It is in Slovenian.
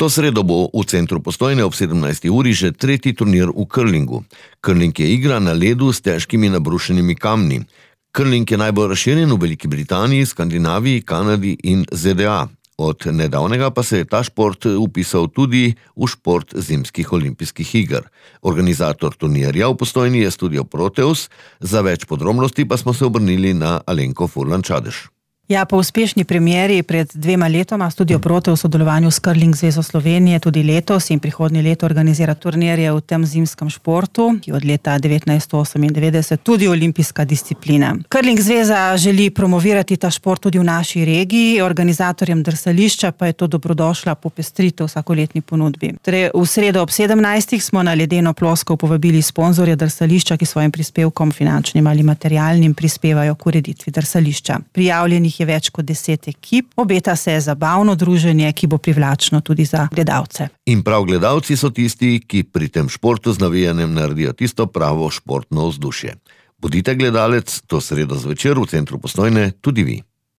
To sredo bo v centru Postojne ob 17. uri že tretji turnir v curlingu. Curling je igra na ledu s težkimi nabrušenimi kamni. Curling je najbolj razširjen v Veliki Britaniji, Skandinaviji, Kanadi in ZDA. Od nedavnega pa se je ta šport vpisal tudi v šport zimskih olimpijskih iger. Organizator turnirja v Postojni je Studio Proteus, za več podrobnosti pa smo se obrnili na Alenko Furlan-Čadež. Ja, po uspešni premieri pred 2 letoma Studio Proteus v sodelovanju s Curling zvezo Slovenije tudi letos in prihodnje leto organizira turnirje v tem zimskem športu, ki je od leta 1998 tudi olimpijska disciplina. Curling zveza želi promovirati ta šport tudi v naši regiji, organizatorjem drsališča pa je to dobrodošla popestritev vsakoletni ponudbi. Torej, v sredo ob 17. smo na ledeno ploskov povabili sponzorje drsališča, ki svojim prispevkom, finančnim ali materialnim, prispevajo k ureditvi drsališča. Prijavljenih je več kot 10 ekip, obeta se zabavno druženje, ki bo privlačno tudi za gledalce. In prav gledalci so tisti, ki pri tem športu z navijanjem naredijo tisto pravo športno vzdušje. Bodite gledalec to sredo zvečer v centru Postojne tudi vi.